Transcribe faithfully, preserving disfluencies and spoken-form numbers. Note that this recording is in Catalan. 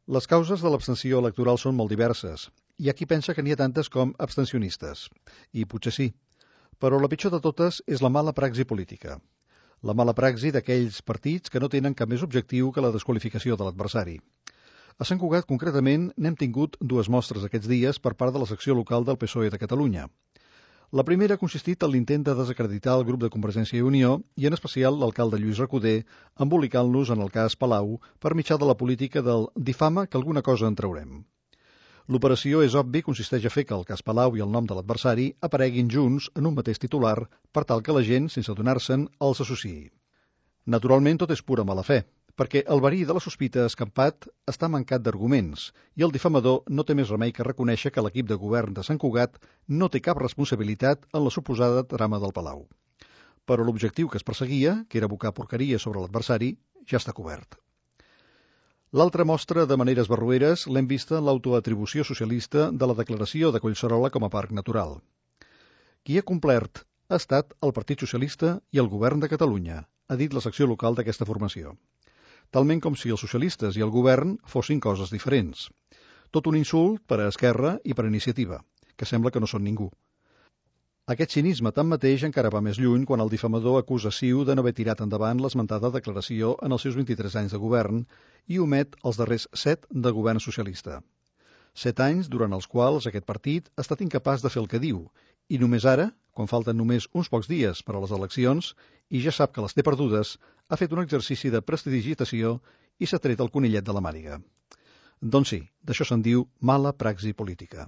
Les causes de l'abstenció electoral són molt diverses. Hi ha qui pensa que n'hi ha tantes com abstencionistes. I potser sí. Però la pitjor de totes és la mala praxi política. La mala praxi d'aquells partits que no tenen cap més objectiu que la desqualificació de l'adversari. A Sant Cugat, concretament, n'hem tingut dues mostres aquests dies per part de la secció local del P S O E de Catalunya. La primera ha consistit en l'intent de desacreditar el grup de Convergència i Unió i, en especial, l'alcalde Lluís Recoder, embolicant-los en el cas Palau per mitjà de la política del difama que alguna cosa en traurem. L'operació, és obvi, consisteix a fer que el cas Palau i el nom de l'adversari apareguin junts en un mateix titular per tal que la gent, sense adonar-se'n, els associï. Naturalment, tot és pura mala fe, perquè el verí de la sospita escampat està mancat d'arguments i el difamador no té més remei que reconèixer que l'equip de govern de Sant Cugat no té cap responsabilitat en la suposada trama del Palau. Però l'objectiu que es perseguia, que era abocar porqueria sobre l'adversari, ja està cobert. L'altra mostra de maneres barroeres l'hem vista en l'autoatribució socialista de la declaració de Collserola com a parc natural. Qui ha complert ha estat el Partit Socialista i el Govern de Catalunya, ha dit la secció local d'aquesta formació. Talment com si els socialistes i el govern fossin coses diferents. Tot un insult per a Esquerra i per a Iniciativa, que sembla que no són ningú. Aquest cinisme tanmateix encara va més lluny quan el difamador acusa Ciu de no haver tirat endavant l'esmentada declaració en els seus vint-i-tres anys de govern i omet els darrers set de govern socialista. Set anys durant els quals aquest partit ha estat incapaç de fer el que diu i només ara, quan falten només uns pocs dies per a les eleccions i ja sap que les té perdudes, ha fet un exercici de prestidigitació i s'ha tret el conillet de la màniga. Doncs sí, d'això se'n diu mala praxi política.